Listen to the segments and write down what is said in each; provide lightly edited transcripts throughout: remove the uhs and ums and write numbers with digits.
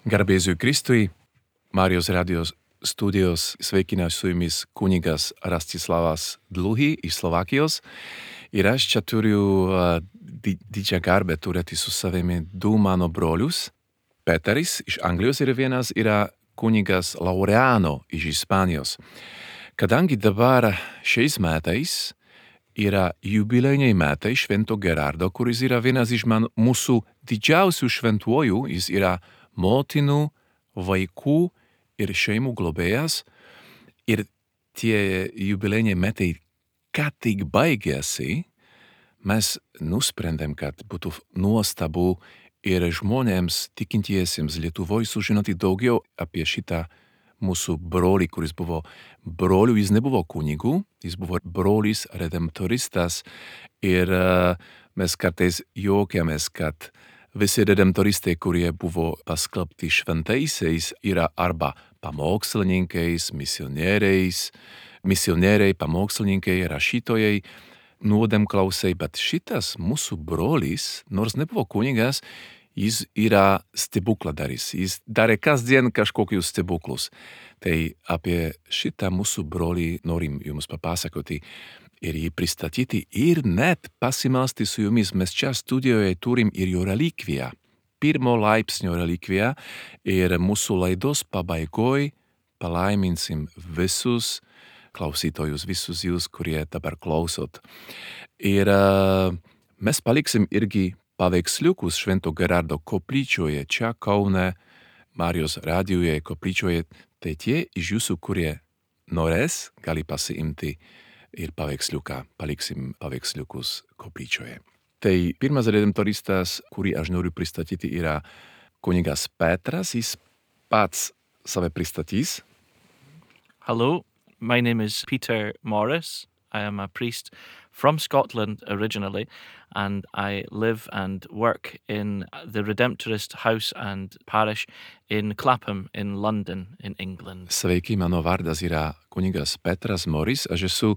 Garbėsiu Kristui, Marijos radijos studijos sveikinās su jumis kunigas Rastislavas Dluhy iš Slovakijos. Ir aš čia turiu didžią garbę turėti su savimi du mano brolius. Peteris iš Anglijos ir vienas yra kunigas Laureano iš Ispanijos. Kadangi dabar šiais metais yra jubilejiniai metai Švento Gerardo, kuris yra vienas iš mūsų didžiausių šventuojų, jis yra motinų, vaikų ir šeimų globėjas. Ir tie jubilejiniai metai ką tik baigėsi, mes nusprendėm, kad būtų nuostabu ir žmonėms tikintiesiems Lietuvoje sužinoti daugiau apie šitą mūsų brolį, kuris buvo broliu, jis nebuvo kunigu, jis buvo brolis redemptoristas ir mes kartais juokiamės, kad visi redemptoristai, kurie buvo paskelbti šventaisiais, yra arba pamokslininkais, misionieriai, pamokslininkai, rašytojai, nuodėmklausiai, bet šitas mūsų brolis, nors nebuvo kunigas, jis yra stebukladaris, jis darė kasdien kažkokius stebuklus. Tai apie šitą mūsų brolį norim jums papasakoti ir jį pristatyti ir net pasimelsti su jumis. Mes čia studijoje turim ir jo relikviją, pirmo laipsnio relikviją, ir mūsų laidos pabaigoj palaiminsim visus klausytojus, visus jūs, kurie dabar klausot. Ir mes paliksim irgi paveiksliukus Švento Gerardo koplyčioje, čia Kaune, Marijos radijoje koplyčioje. Tai tie iš jūsų, kurie norės, gali pasiimti ir paveiksliuką, paliksim paveiksliukus koplyčioje. Tai pirmas redemptoristas, kurį aš noriu pristatyti, yra kunigas Petras. Jis pats save pristatys. Hello, my name is Peter Morris. I am a priest from Scotland originally, and I live and work in the Redemptorist House and Parish in Clapham in London in England. Sveiki, mano vardas yra kunigas Petras Morris. Aš esu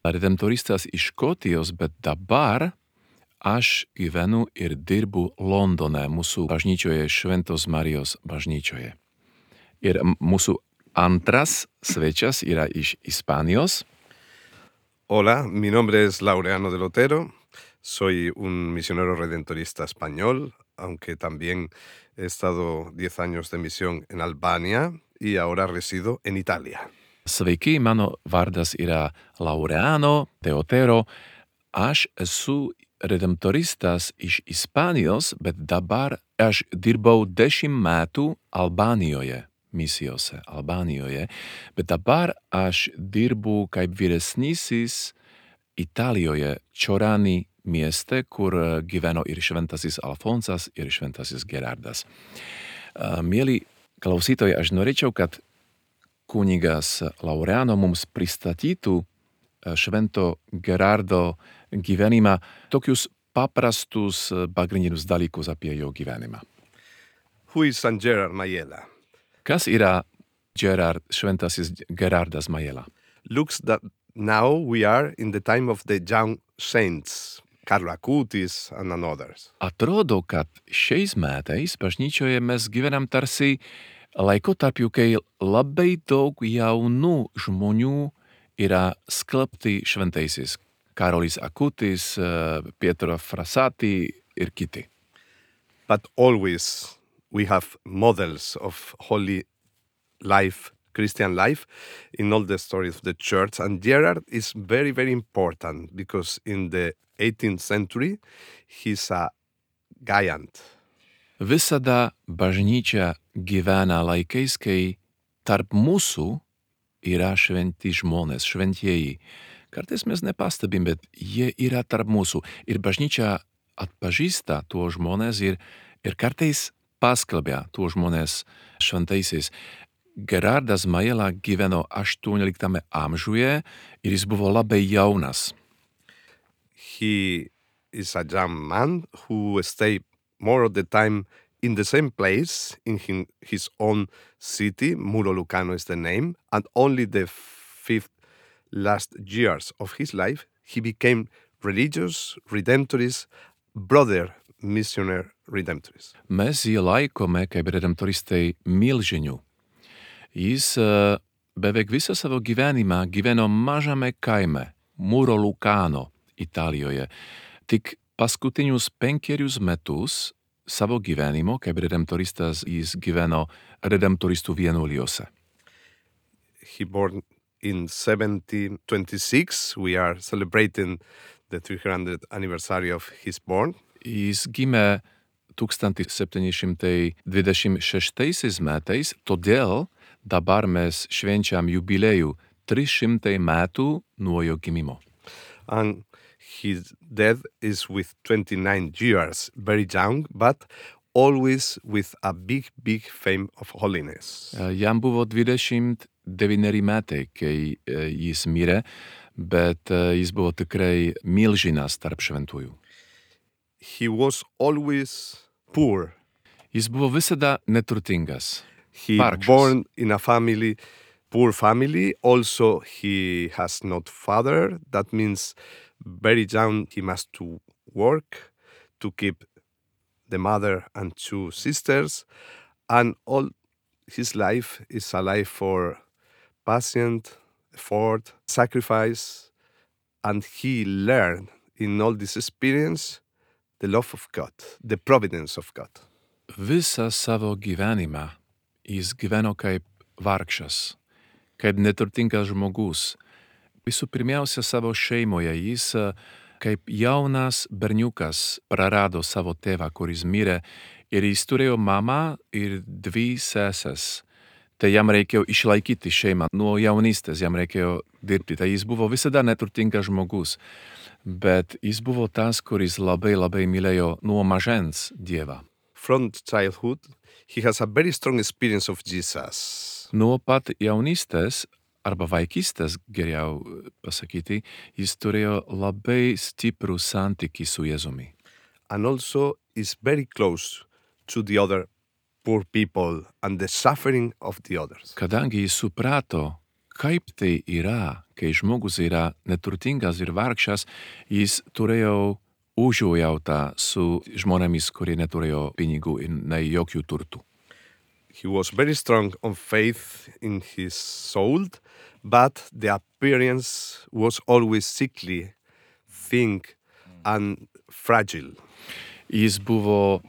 redemptoristas iš Škotijos, bet dabar aš gyvenu ir dirbu Londone, mūsų bažnyčioje, Šventos Marijos bažnyčioje. Ir mūsų antras svečias yra iš Ispanijos. Hola, mi nombre es Laureano del Otero, soy un misionero redentorista español, aunque también he estado 10 años de misión en Albania y ahora resido en Italia. Sveiki, mano vardas yra Laureano de Otero. Aš esu redemptoristas iš Ispanijos, bet dabar aš dirbau 10 metų Albanijoje. Misijose Albanijoje, bet dabar aš dirbu kaip vyresnysis Italijoje, Čorani mieste, kur gyveno ir šventasis Alfonsas, ir šventasis Gerardas. Mieli klausytojai, aš norėčiau, kad kunigas Laureano mums pristatytų Švento Gerardo gyvenimą, tokius paprastus pagrindinius dalykus apie jo gyvenimą. Who is Saint Gerard Majella? Kas yra šventasis Gerardas Majella? Looks that now we are in the time of the young saints, Carlo Acutis and others. Atrodo, kad šiais metais bažnyčioje mes gyvenam tarsi laikotarpiu, kai labai daug jaunų žmonių yra skelbti šventaisiais. Karolis Akutis, Pietro Frassati ir kiti. But always we have models of holy life, Christian life, in all the stories of the church. And Gerard is very, very important because in the 18th century, he's a giant. Visada bažnyčia gyvena laikais, kai tarp mūsų yra šventi žmonės, šventieji. Kartais mes nepastebim, bet jie yra tarp mūsų. Ir bažnyčia atpažįsta tuos žmonės ir kartais paskelbia tuos žmonės šventaisiais. Gerardas Majella gyveno 18 amžiuje ir jis buvo labai jaunas. He is a young man who stayed more of the time in the same place, in his own city. Muro Lucano is the name. And only the 5 last years of his life, he became religious, redemptorist, brother missionary redemptorist. Mes jį laikome kaip redemptoristai milžinių. Jis beveik visą savo gyvenimą gyveno mažame kaime, Muro Lucano, Italijoje. Tik paskutinius 5 metus savo gyvenimo kaip redemptoristas jis gyveno redemptoristų vienuolijose. He born in 1726. We are celebrating the 300th anniversary of his born. Jis gimė 1726 metais, todėl dabar mes švenčiam jubiliejų 300 metų nuo jo gimimo. And his death is with 29 years, very young, but always with a big fame of holiness. Jam buvo 29 metai, kai jis mirė, bet jis buvo tikrai milžinas tarp šventųjų. He was always poor. Jis buvo visada neturtingas. He Vargšas. born in a family, poor family. Also, he has not father. That means very young he must to work to keep the mother and 2 sisters. And all his life is a life for patient, effort, sacrifice. And he learned in all this experience the love of God, the providence of God. Visą savo gyvenimą jis gyveno kaip vargšas, kaip neturtingas žmogus. Visų pirmiausia savo šeimoje jis kaip jaunas berniukas prarado savo tėvą, kuris mirė, ir jis turėjo mamą ir 2 seses. Tai jam reikėjo išlaikyti šeimą. Nuo jaunystės jam reikėjo dirbti. Tai jis buvo visada neturtingas žmogus. Bet jis buvo tas, kuris labai mylėjo nuo mažens Dievą. From childhood, he has a very strong experience of Jesus. Nuo pat jaunystės arba vaikystės, geriau pasakyti, jis turėjo labai stiprų santykį su Jėzumi. And also is very close to the other poor people and the suffering of the others. Kadangi jis suprato, kaip tai yra, kai žmogus yra neturtingas ir vargšas, jis turėjo užuojautą su žmonėmis, kurie neturėjo pinigų ir nei jokių turtų. He was very strong on faith in his soul, but the appearance was always sickly, thin and fragile. Jis buvo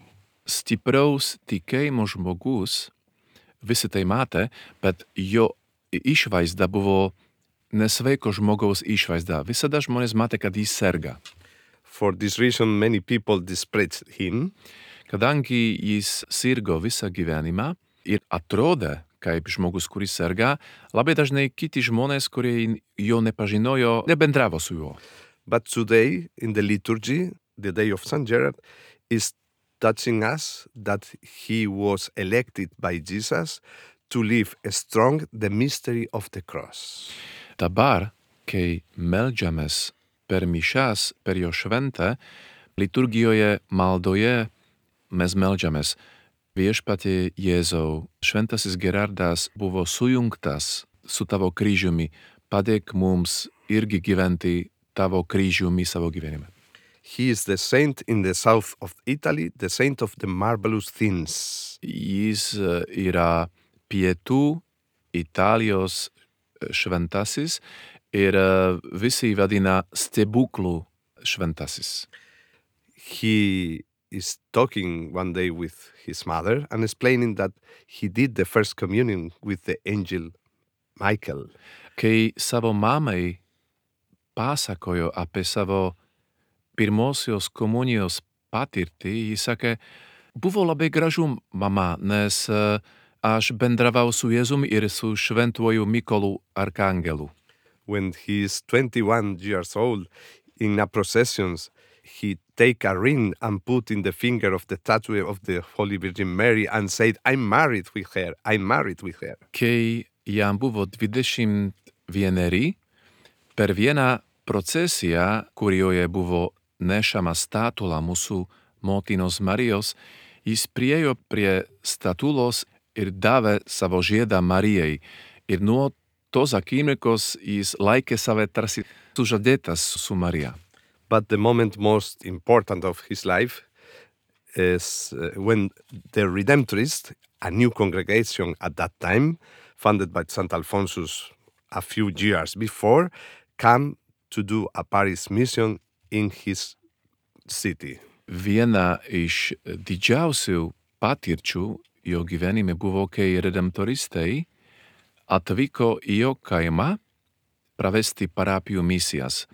stipraus tikėjimo žmogus, visi tai matė, bet jo išvaizda buvo nesveiko žmogaus išvaizda. Visada žmonės matė, kad jis serga. For this reason, many people disparaged him. Kadangi jis sirgo visą gyvenimą ir atrodė kaip žmogus, kuris serga, labai dažnai kiti žmonės, kurie jo nepažinojo, nebendravo su juo. But today, in the liturgy, the day of St. Gerard, is touching us that he was elected by Jesus to live strong the mystery of the cross. Dabar, kai meldžiamės per mišas, per jo šventę, liturgijoje, maldoje mes meldžiamės: Viešpatie Jėzau, šventasis Gerardas buvo sujungtas su tavo kryžiumi, padėk mums irgi gyventi tavo kryžiumi savo gyvenime. He is the saint in the south of Italy, the saint of the marvelous things. Jis yra pietų Italijos šventasis ir visi vadina stebuklų šventasis. He is talking one day with his mother and explaining that he did the first communion with the angel Michael. Kai savo mamai pasakojo apie savo pirmosios komunijos patirtį, jis sakė: buvo labai gražu, mama, nes aš bendravau su Jėzumi ir su šventuoju Mykolu arkangelu. When he is 21 years old, in a procession, he take a ring and put in the finger of the tattoo of the Holy Virgin Mary and said, I'm married with her, I'm married with her. Kai jam buvo 21, per vieną procesiją, kurioje buvo nešama statula mūsų motinos Marijos, jis priėjo prie statulos ir davė savo žiedą Marijai. Ir nuo tos akimirkos jis laikė save tarsi sužadėtas su Marija. But the moment most important of his life is when the Redemptorists, a new congregation at that time, founded by St. Alphonsus a few years before, came to do a Paris mission in his city. Viena iš didžiausių patirčių jo gyvenime buvo, kai redemptoristai atvyko į jo kaimą pravesti parapijų misijas.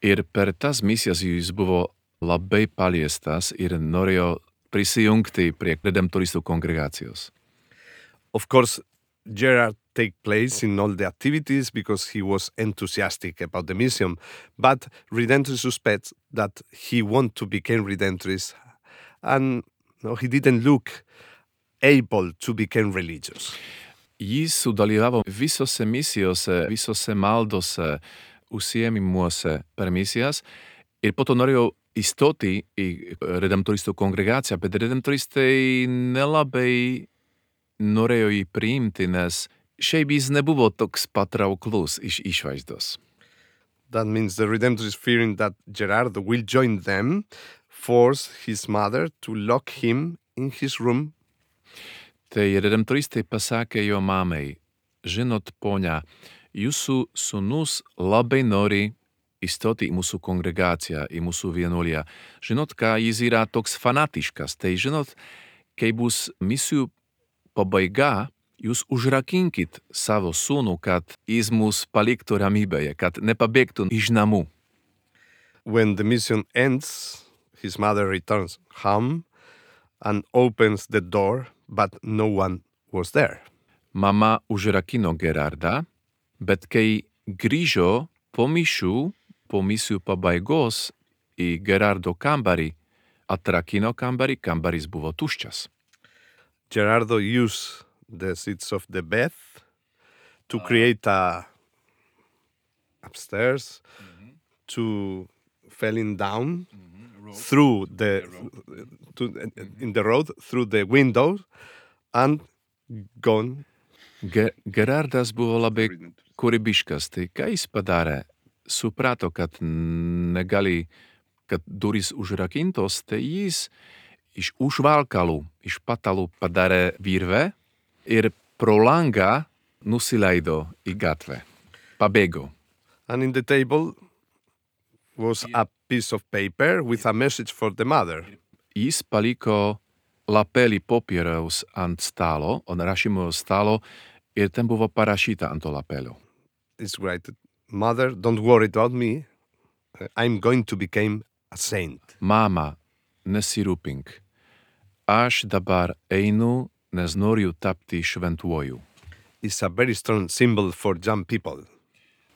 Ir per tas misijas jis buvo labai paliestas ir norėjo prisijungti prie redemptoristų kongregacijos. Of course, Gerard take place in all the activities because he was enthusiastic about the mission, but Redemptorist suspects that he want to become Redemptorist and he didn't look able to become religious. Jis sudalyvavo visose misijose, visose maldose, užsiėmimuose per misijas ir po to norėjo įstoti į redemptoristų kongregaciją, bet redemptoristai nelabai norėjo jį priimti, nes šiaip jis nebuvo toks patrauklus iš išvaizdos. That means the Redemptorists, fearing that Gerardo will join them, forced his mother to lock him in his room. Tai redemptoristai pasakė jo mamai, žinot, ponia, jūsų sūnus labai nori įstoti į mūsų kongregaciją, į mūsų vienuoliją. Žinot, ką jis yra toks fanatiškas, tai žinot, kai bus misijų pabaiga, jūs užrakinkit savo sūnų, kad jis mus paliktų ramybėje, kad nepabėgtų iš namų. When the mission ends, his mother returns home and opens the door, but no one was there. Mama užrakino Gerardą, bet kai grįžo po misijų pabaigos į Gerardo kambarį, atrakino kambarį, kambarys buvo tuščias. Gerardo used the seats of the bed to create a upstairs to falling down through the in the road through the window and gone. Gerardas buvo labai kūrybiškas, tai ką jis padarė? Suprato, kad negali, kad durys užrakintos, tai jis iš užvalkalų, iš patalų padarė virvę ir pro langą nusileido į gatvę. Pabėgo. And in the table was a piece of paper with a message for the mother. Jis paliko lapelį popieriaus ant stalo, on rašymo stalo, ir ten buvo parašyta ant to lapelio. It's right. Mother, don't worry about me. I'm going to become a saint. Mama, nesirūpink. Aš dabar einu, nes noriu tapti šventuoju. It's a very strong symbol for young people.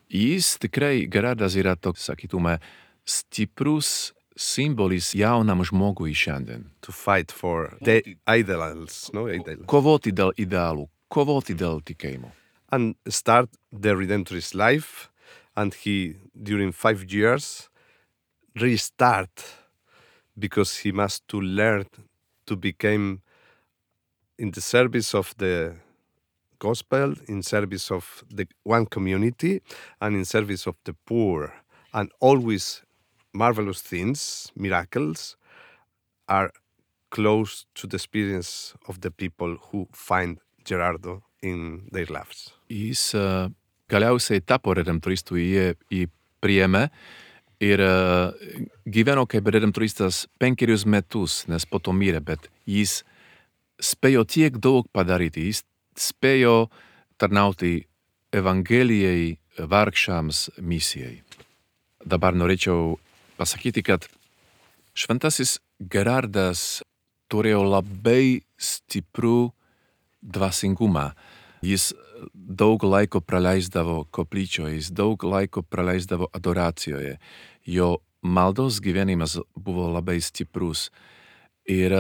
Jis tikrai, Gerardas yra toks, sakytume, stiprus simbolis jaunam žmogui šiandien. To fight for the ideals, no? Ideal. Kovoti dėl idealų, kovoti dėl tikėjimo. And start the Redemptorist life, and he, during 5 years, restart because he must to learn to become in the service of the gospel, in service of the one community, and in service of the poor. And always marvelous things, miracles, are close to the experience of the people who find Gerardo in their lives. Jis galiausiai tapo redemptoristu, jį priėmė ir gyveno kaip redemptoristas 5 metus, nes po to mirė, bet jis spėjo tiek daug padaryti, jis spėjo tarnauti Evangelijai, vargšams, misijai. Dabar norėčiau pasakyti, kad šventasis Gerardas turėjo labai stiprų dvasingumą. Jis daug laiko praleisdavo koplyčioje, jis daug laiko praleisdavo adoracijoje. Jo maldos gyvenimas buvo labai stiprus. Ir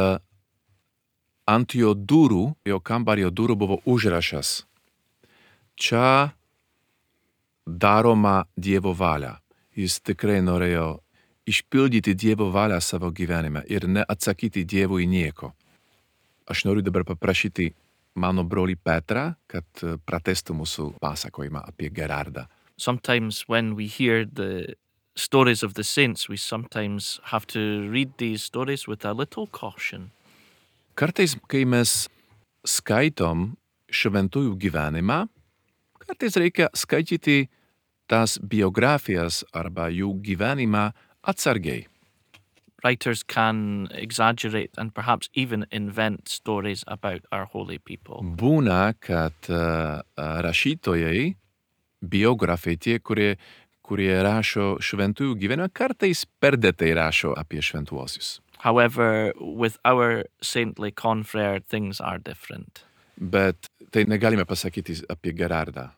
ant jo durų, jo kambario durų buvo užrašas. Čia daroma Dievo valia. Jis tikrai norėjo išpildyti Dievo valią savo gyvenime ir neatsakyti Dievui nieko. Aš noriu dabar paprašyti mano brolį Petrą, kad pratęstų mūsų pasakojimą apie Gerardą. Sometimes when we hear the stories of the saints, we sometimes have to read these stories with a little caution. Kartais, kai mes skaitom šventųjų gyvenimą, kartais reikia skaityti tas biografijas arba jų gyvenimą atsargiai. Writers can exaggerate and perhaps even invent stories about our holy people. Būna, kad rašytojai, biografai, tie, kurie rašo šventųjų gyvenimą, kartais perdėtai rašo apie šventuosius. However, with our saintly confrere, things are different. Bet tai negalime pasakyti apie Gerardą.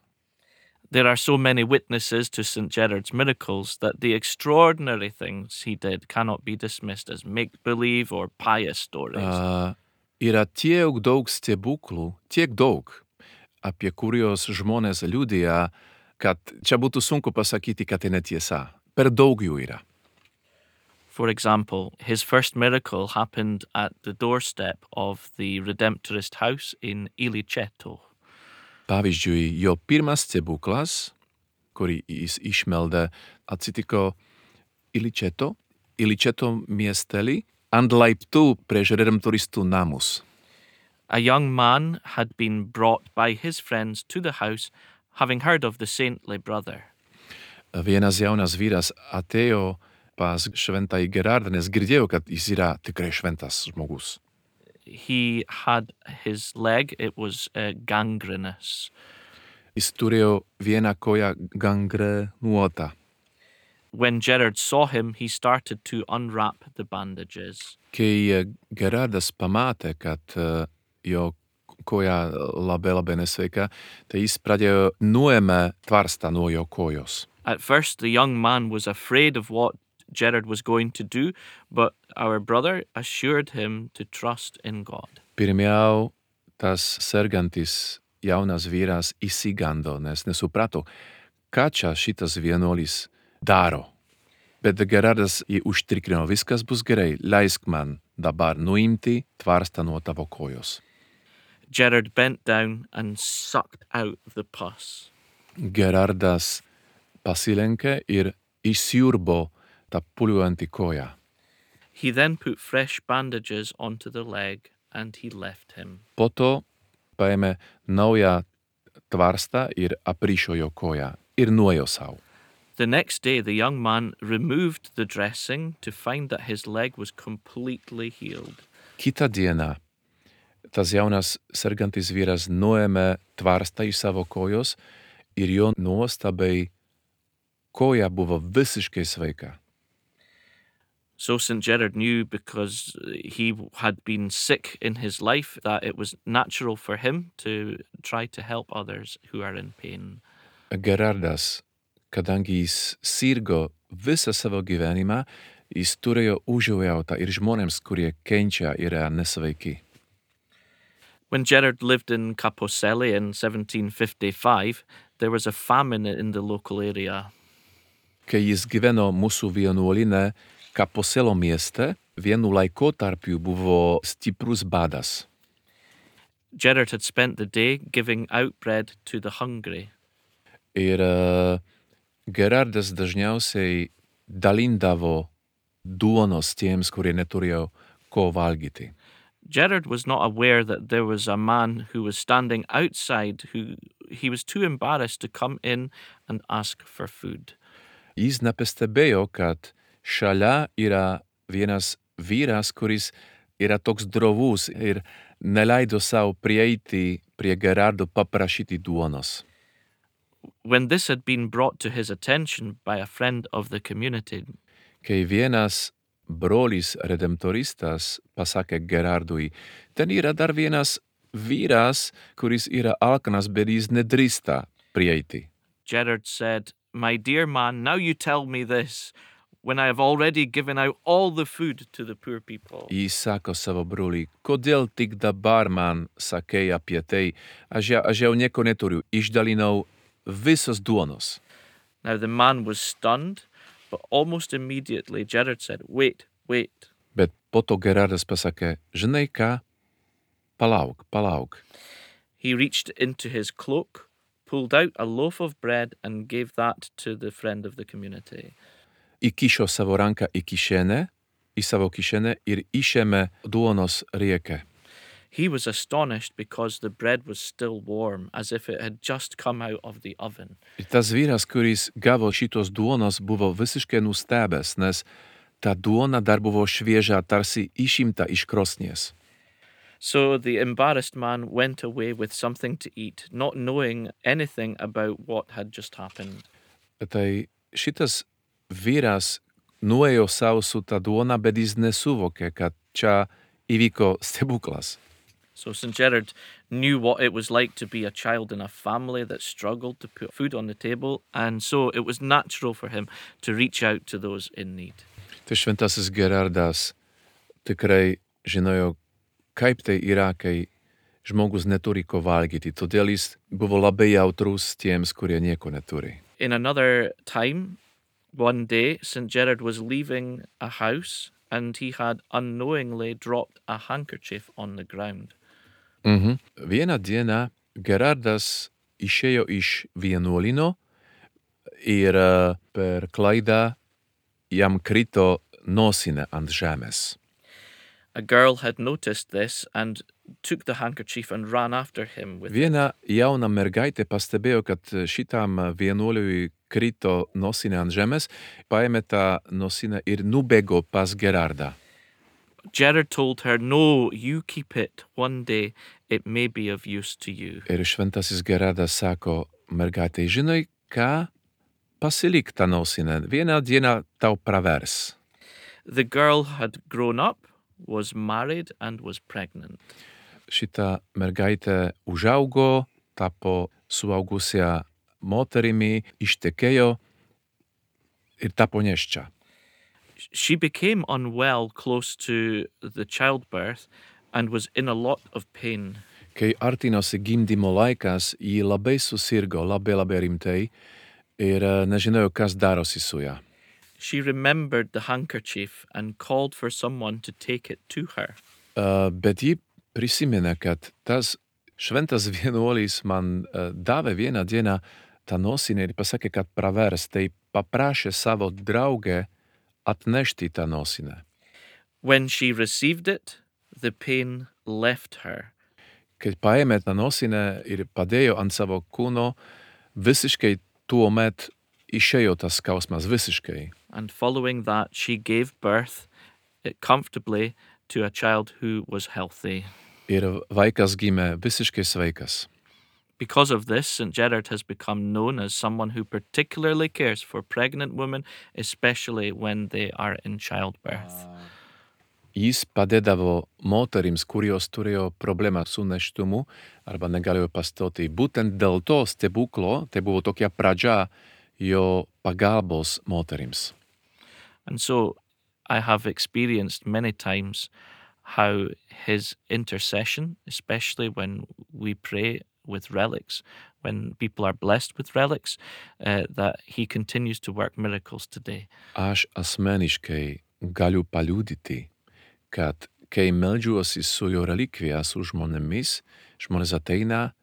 There are so many witnesses to St. Gerard's miracles that the extraordinary things he did cannot be dismissed as make-believe or pious stories. Yra tiek daug stebuklų, tiek daug, apie kuriuos žmonės liudija, kad čia būtų sunku pasakyti, kad tai netiesa. Per daug jų yra. For example, his first miracle happened at the doorstep of the Redemptorist house in Iliceto. Pavyzdžiui, jo pirmas stebuklas, kurį jis išmeldė, atsitiko Iliceto miestely, ant laiptų prieš redemptoristų namus. A young man had been brought by his friends to the house, having heard of the saintly brother. Vienas jaunas vyras atėjo pas šventąjį Gerardą, nes girdėjo, kad jis yra tikrai šventas žmogus. He had his leg, it was gangrenous. Jis turėjo vieną koją gangrenuotą. When Gerard saw him, he started to unwrap the bandages. Kai Gerardas pamatė, kad jo koja labai nesveika, tai jis pradėjo nuėmė tvarstą nuo jo kojos. At first, the young man was afraid of what Gerard was going to do, but our brother assured him to trust in God. Pirmiau tas sergantis jaunas vyras įsigando, nes nesuprato, ką čia šitas vienuolis daro. Bet Gerardas jį užtikrino, viskas bus gerai, leisk man dabar nuimti tvarstą nuo tavo kojos. Gerard bent down and sucked out the pus. Gerardas pasilenkė ir išsiurbo tą puljuojantį koją. He then put fresh bandages onto the leg and he left him. Po to paėmė naują tvarstą ir aprišo jo koją ir nuėjo sau. The next day, the young man removed the dressing to find that his leg was completely healed. Kitą dieną tas jaunas sergantis vyras nuėmė tvarstą iš savo kojos ir jo nuostabai koja buvo visiškai sveika. So St. Gerard knew, because he had been sick in his life, that it was natural for him to try to help others who are in pain. Gerardas, kadangi jis sirgo visą savo gyvenimą, jis turėjo užuojautą ir žmonėms, kurie kenčia, yra nesveiki. When Gerard lived in Caposelli in 1755, there was a famine in the local area. Kai jis gyveno mūsų vienuolyne Caposello mieste, vienu laikotarpiu buvo stiprus badas. Gerard had spent the day giving out bread to the hungry. Ir Gerardas dažniausiai dalindavo duonos tiems, kurie neturėjo ko valgyti. Gerard was not aware that there was a man who was standing outside who he was too embarrassed to come in and ask for food. Jis nepastebėjo, kad šalia yra vienas vyras, kuris yra toks drovus ir neleido sau prieiti prie Gerardo paprašyti duonos. When this had been brought to his attention by a friend of the community, Kai vienas brolis redemptoristas pasakė Gerardui, ten yra dar vienas vyras, kuris yra alkanas, bet jis nedrįsta prieiti. Gerard said, "My dear man, now you tell me this, when I have already given out all the food to the poor people." Jis sako savo broliui, kodėl tik dabar man sakei apie tai, aš jau nieko neturiu, išdalinau visos duonos. Now the man was stunned, but almost immediately Gerard said, wait. Bet po to Gerardas pasakė, žinai ką, palauk. He reached into his cloak, pulled out a loaf of bread and gave that to the friend of the community. įkišo savo ranką į savo kišenę ir išėmė duonos riekę. He was astonished because the bread was still warm, as if it had just come out of the oven. Ir tas vyras, kuris gavo šitos duonos, buvo visiškai nustebęs, nes ta duona dar buvo šviežia, tarsi išimta iš krosnies. So the embarrassed man went away with something to eat, not knowing anything about what had just happened. Tai šitas vyras nuėjo sau su ta duona, bet jis nesuvokė, kad čia įvyko stebuklas. So St. Gerard knew what it was like to be a child in a family that struggled to put food on the table, and so it was natural for him to reach out to those in need. Tai šventasis Gerardas tikrai žinojo, kaip tai yra, kai žmogus neturi ko valgyti, todėl jis buvo labai jautrus tiems, kurie nieko neturi. In another time, one day, St. Gerard was leaving a house and he had unknowingly dropped a handkerchief on the ground. Vieną dieną Gerardas išėjo iš vienuolino ir per klaidą jam krito nosinė ant žemės. A girl had noticed this and took the handkerchief and ran after him with it. Viena jauna mergaitė pastebėjo, kad šitam vienuoliui krito nosinė ant žemės, paėmė tą nosinę ir nubėgo pas Gerardą. Gerard told her, "No, you keep it. One day it may be of use to you." Ir šventasis Gerardas sako mergaitei, žinai ką, pasilik tą nosinę, vieną dieną tau pravers. The girl had grown up, was married and was pregnant. Šita mergaitė užaugo, tapo suaugusia moterimi, ištekėjo ir tapo nėščia. She became unwell close to the childbirth and was in a lot of pain. Kai artinosi gimdymo laikas, ji labai susirgo, labai rimtai ir nežinojo, kas darosi su ja. She remembered the handkerchief and called for someone to take it to her. Bet ji prisiminė, kad tas šventas vienuolis man davė vieną dieną tą nosinę ir pasakė, kad pravers, tai paprašė savo draugę atnešti tą nosinę. When she received it, the pain left her. Kai paėmė tą nosinę ir padėjo ant savo kūno, visiškai tuomet išėjo tas skausmas, visiškai. And following that, she gave birth comfortably to a child who was healthy. Ir vaikas gimė visiškai sveikas. Because of this, St. Gerard has become known as someone who particularly cares for pregnant women, especially when they are in childbirth. Jis padėdavo moterims, kurios turėjo problemą su nėštumu arba negalėjo pastoti. Būtent dėl to stebuklo, tai buvo tokia pradžia jo pagalbos moterims. And so I have experienced many times how his intercession, especially when we pray with relics, when people are blessed with relics, that he continues to work miracles today. Aš asmeniškai galiu paliudyti, kad kai meldžiuosi su jo relikvija su žmonėmis, žmonės ateina,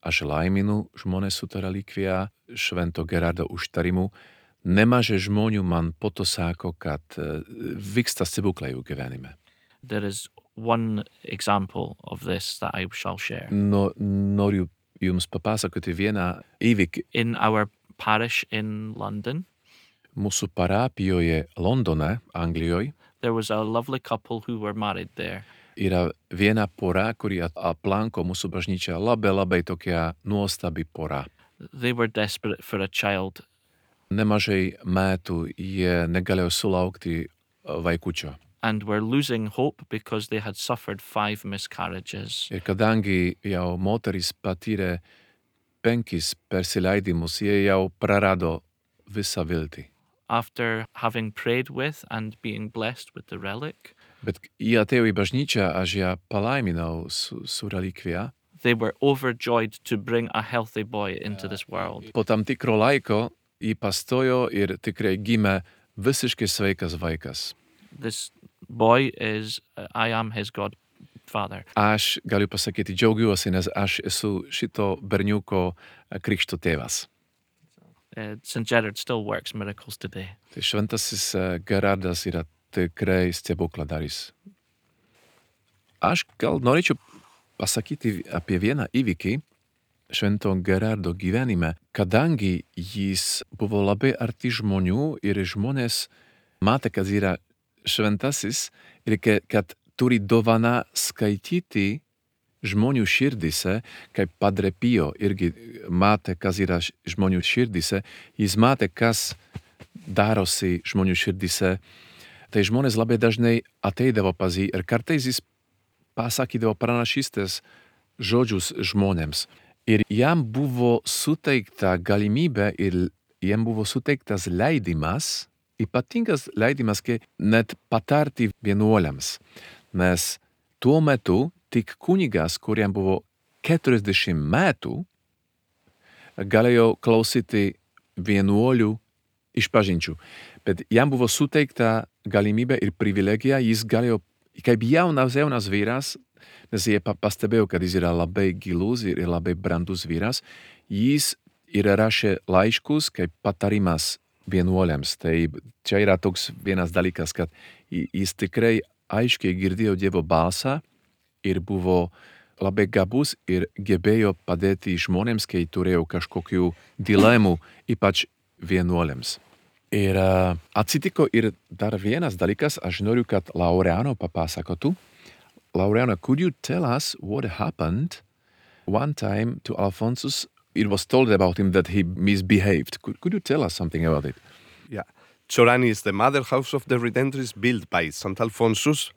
aš laiminu žmonės su ta relikvija, švento Gerardo užtarimu, nemažai žmonių man po to sako, kad vyksta stebuklai jų gyvenime. There is one example of this that I shall share. Noriu jums papasakoti vieną įvykį. In our parish in London, Mūsų parapijoje Londone, Anglijoje, there was a lovely couple who were married there. yra viena pora, kuri aplanko mūsų bažnyčią, labai tokia nuostabi pora. They were desperate for a child. Nemažai metų jie negalėjo sulaukti vaikučio. And were losing hope because they had suffered 5 miscarriages. Ir kadangi jau moteris patyrė 5 persileidimus, jie jau prarado visą viltį. After having prayed with and being blessed with the relic, Bet jie atėjo į bažnyčią, aš ją palaiminau su relikvija. they were overjoyed to bring a healthy boy into this world. Po tam tikro laiko jį pastojo ir tikrai gimė visiškai sveikas vaikas. This boy is, I am his godfather. Aš galiu pasakyti, džiaugiuosi, nes aš esu šito berniuko krikšto tėvas. St. Gerard still works miracles today. Tai šventasis Gerardas yra tikrai stebukladaris. Aš gal norėčiau pasakyti apie vieną įvykį švento Gerardo gyvenime, kadangi jis buvo labai arti žmonių ir žmonės matė, kad yra šventasis ir kad turi dovaną skaityti žmonių širdise, kaip Padre Pio irgi matė, kas yra žmonių širdise, jis matė, kas darosi žmonių širdise. Tai žmonės labai dažnai ateidavo pas jį ir kartais jis pasakydavo pranašystės žodžius žmonėms. Ir jam buvo suteikta galimybė ir jam buvo suteiktas leidimas, ypatingas leidimas, net patarti vienuoliams. Nes tuo metu tik kunigas, kuriam buvo 40 metų, galėjo klausyti vienuolių išpažinčių. Bet jam buvo suteikta galimybė ir privilegija, jis galėjo, kaip jaunas vyras, nes jie pastebėjo, kad jis yra labai gilus ir labai brandus vyras, jis ir rašė laiškus kaip patarimas vienuoliams. Tai čia yra toks vienas dalykas, kad jis tikrai aiškiai girdėjo Dievo balsą ir buvo labai gabus ir gebėjo padėti žmonėms, kai turėjo kažkokių dilemų, ypač vienuoliams. Ir atsitiko ir dar vienas dalykas, aš noriu, kad Laureano papasakotų. Laureano, could you tell us what happened one time to Alphonsus? It was told about him that he misbehaved. Could you tell us something about it? Yeah. Chorani is the mother house of the Redemptorists built by St. Alphonsus,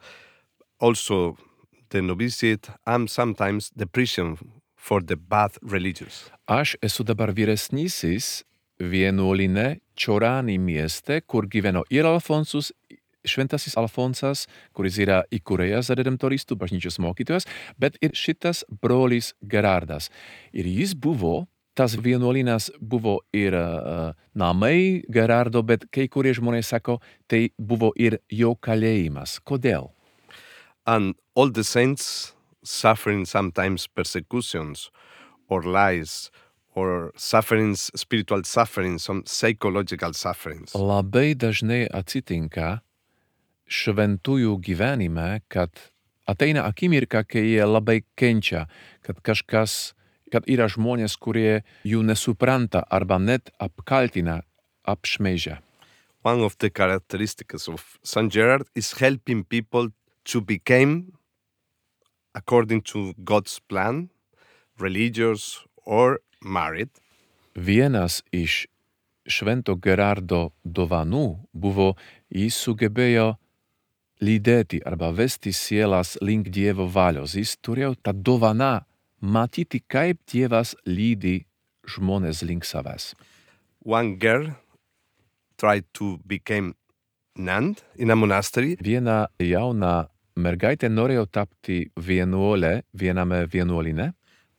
also the novitiate and sometimes the prison for the bad religious. Aš esu dabar vyresnysis vienuoline Chorani mieste, kur gyveno ir Alfonsus, šventasis Alfonsas, kuris yra įkūrėjas redemptoristų bažnyčios mokytojas, bet ir šitas brolis Gerardas. Ir jis buvo, tas vienuolinas buvo ir namai Gerardo, bet kai kurie žmonės sako, tai buvo ir jo kalėjimas. Kodėl? And all the saints suffering sometimes persecutions or lies or sufferings, spiritual sufferings, some psychological sufferings. Labai dažnai atsitinka šventųjų gyvenime, kad ateina akimirka, kai jie labai kenčia, kad yra žmonės, kurie jų nesupranta arba net apkaltina, apšmeižia. One of the characteristics of St. Gerard is helping people to become, according to God's plan, religious or married. Vienas iš švento Gerardo dovanų buvo, jis sugebėjo lydėti arba vesti sielas link Dievo valios. Jis turėjo tą dovaną matyti, kaip Dievas lydi žmonės link savęs. One girl tried to become nun in a monastery. Viena jauna mergaitė norėjo tapti vienuolė viename vienuoline,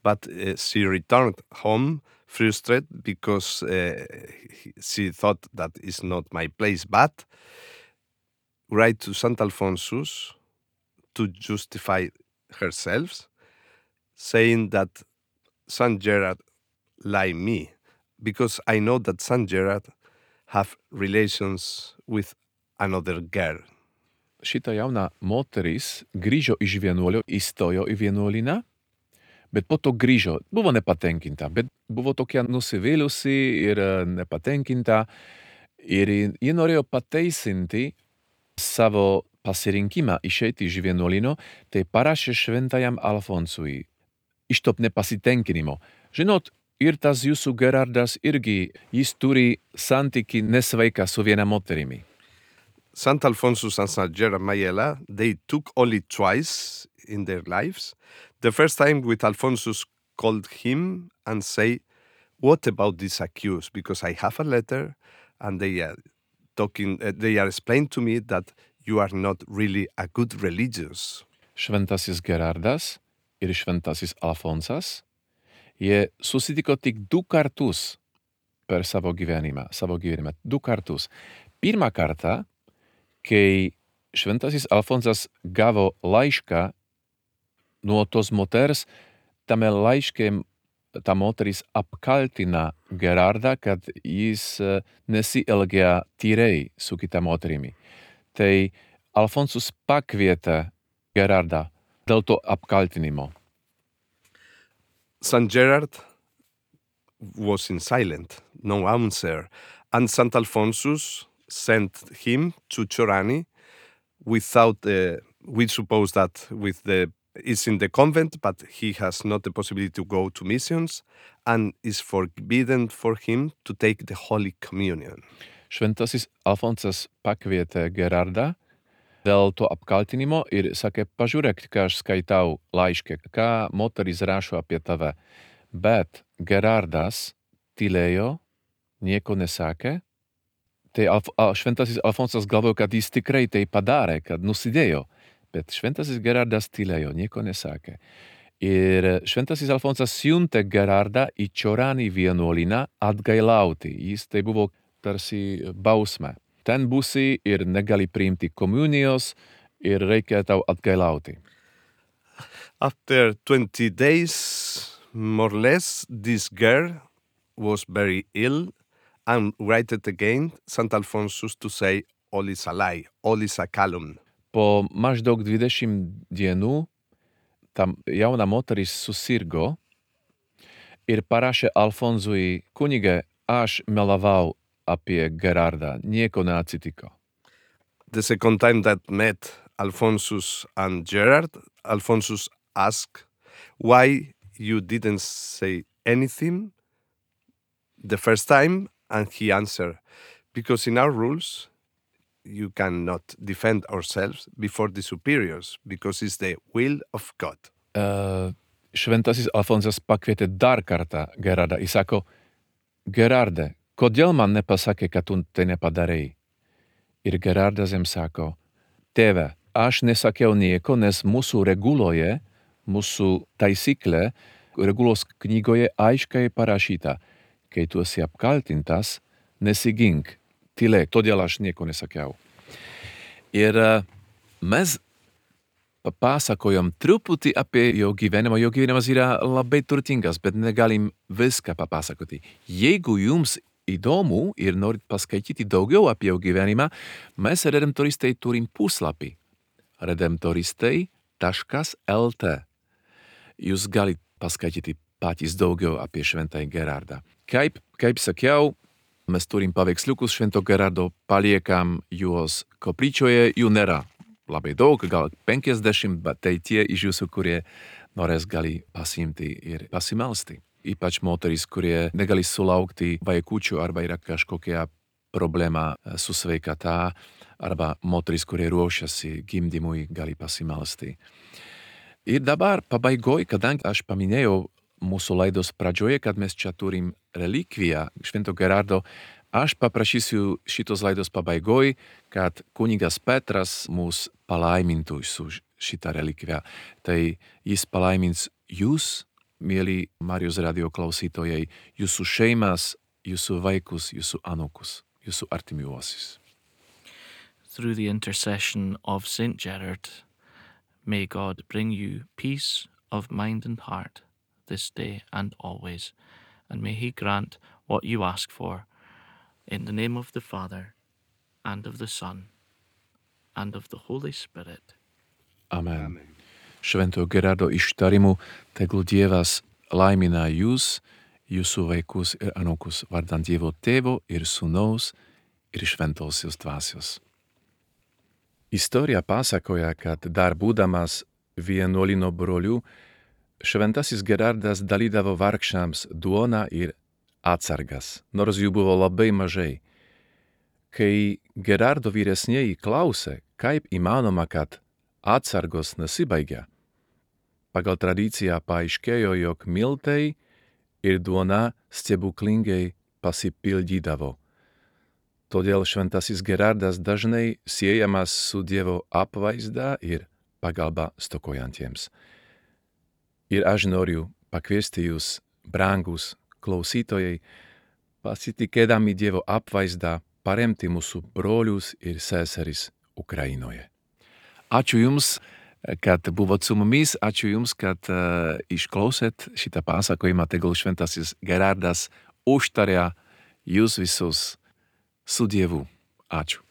but she returned home frustrated because she thought that is not my place. But write to St. Alphonsus to justify herself, saying that St. Gerard like me, because I know that St. Gerard have relations with another girl. Šita jauna moteris grįžo iš vienuolio, įstojo į vienuoliną, bet po to grįžo. Buvo nepatenkinta, bet buvo tokia nusivylusi ir nepatenkinta. Ir ji norėjo pateisinti savo pasirinkimą išeiti iš vienuolino, tai parašė šventajam Alfonsui iš to nepasitenkinimo. Žinot, ir tas jūsų Gerardas irgi, jis turi santykį nesveiką su viena moterimi. St. Alphonsus and St. Gerard Mayela, they took only twice in their lives. The first time with Alphonsus called him and say, what about this accused? Because I have a letter and they are explaining to me that you are not really a good religious. Šventasis Gerardas ir šventasis Alfonsas, jie susitiko tik 2 kartus per savo gyvenimą. 2 kartus. Pirmą kartą, kai šventasis Alfonsas gavo laišką nuo tos moters, tame laiške ta moteris apkaltina Gerardą, kad jis nesielgia tyriai su kita moterimi. Tai Alfonsus pakvietė Gerardą dėl to apkaltinimo. St. Gerard was in silent, no answer, and St. Alphonsus sent him to Chorani without, we suppose that is in the convent, but he has not the possibility to go to missions, and is forbidden for him to take the Holy Communion. Šventasis Alfonsas pakvietė Gerardą dėl to apkaltinimo ir sakė, pažiūrėk, ką aš skaitau laiške, ką moteris rašo apie tave. Bet Gerardas tylėjo, nieko nesakė. Tai šventasis Alfonsas galvoja, kad jis tikrai tai padarė, kad nusidėjo. Bet šventasis Gerardas tylėjo, nieko nesakė. Ir šventasis Alfonsas siuntė Gerardą į Chorani vienuolyną atgailauti. Jis tai buvo tarsi bausmė. Ten būsi ir negali priimti komunijos ir reikia tau atgailauti. After 20 days, more or less, this girl was very ill and wrote again St. Alphonsus to say, all is a lie, all is a calumny. Po maždaug 20 dienų ta jauna moteris susirgo ir parašė Alfonsui, kunige, aš melavau apie Gerardą, nieko neatsitiko. The second time that met Alphonsus and Gerard, Alphonsus asked why you didn't say anything the first time, and he answered, because in our rules, you cannot defend ourselves before the superiors, because it's the will of God. Šventasis Alfonsas pakvietė dar kartą Gerardą ir sako, Gerarde, kodėl man nepasakė, kad tu tai nepadarei? Ir Gerardas jam sako, tėve, aš nesakiau nieko, nes mūsų reguloje, mūsų taisyklė, regulos knygoje aiškiai parašyta, kai tu esi apkaltintas, nesigink, tylėk, todėl aš nieko nesakiau. Ir mes papasakojam truputį apie jo gyvenimą. Jo gyvenimas yra labai turtingas, bet negalim viską papasakoti. Jeigu jums įdomu ir norit paskaityti daugiau apie jo gyvenimą, mes redemptoristai turim puslapį redemptoristai.lt. Jūs galit paskaityti patys daugiau apie šventąjį Gerardą. Kaip sakiau, mes turim paveiksliukus švento Gerardo, paliekam juos koplyčioje, jų nėra labai daug, gal 50, bet tai tie iš jūsų, kurie norės gali pasiimti ir pasimelsti. Ypač moteris, kurie negali sulaukti vaikučių arba yra kažkokia problema su sveikata, arba moteris, kurie ruošiasi gimdymui, gali pasimelsti. Ir dabar pabaigoj, kadangi aš paminėjau mūsų laidos pradžioje, kad mes čia turim relikviją švento Gerardo, aš paprašysiu šitos laidos pabaigoj, kad kunigas Petras mus palaimintų su šitą relikviją. Tai jis palaimins jūs, mieli Marijos radio klausytojai, jūsų šeimas, jūsų vaikus, jūsų anūkus, jūsų artimiuosius. Through the intercession of Saint Gerard, may God bring you peace of mind and heart this day and always, and may he grant what you ask for, in the name of the Father, and of the Son, and of the Holy Spirit. Amen. Švento Gerardo ištarimu tegul Dievas laimina jūs, jūsų vaikus ir anūkus, vardant Dievo Tėvo ir Sūnaus ir Šventosios Dvasios. Istorija pasakoja, kad dar būdamas vienuolyno broliu, šventasis Gerardas dalydavo vargšams duoną ir atsargas, nors jų buvo labai mažai. Kai Gerardo vyresnieji klausė, kaip įmanoma, kad atsargos nesibaigia, pagal tradiciją paaiškėjo, jog miltai ir duona stebuklingai pasipildydavo. Todėl šventasis Gerardas dažnai siejamas su Dievo apvaizda ir pagalba stokojantiems. Ir aš noriu pakviesti jūs, brangus klausytojai, pasitikėdami Dievo apvaizdą, paremti mūsų brolius ir seseris Ukrainoje. Ačiū Jums, kad buvot su mumis. Ačiū Jums, kad išklausėt šitą pasakojimą. Tegul šventasis Gerardas užtaria Jūs visus su Dievu. Ačiū.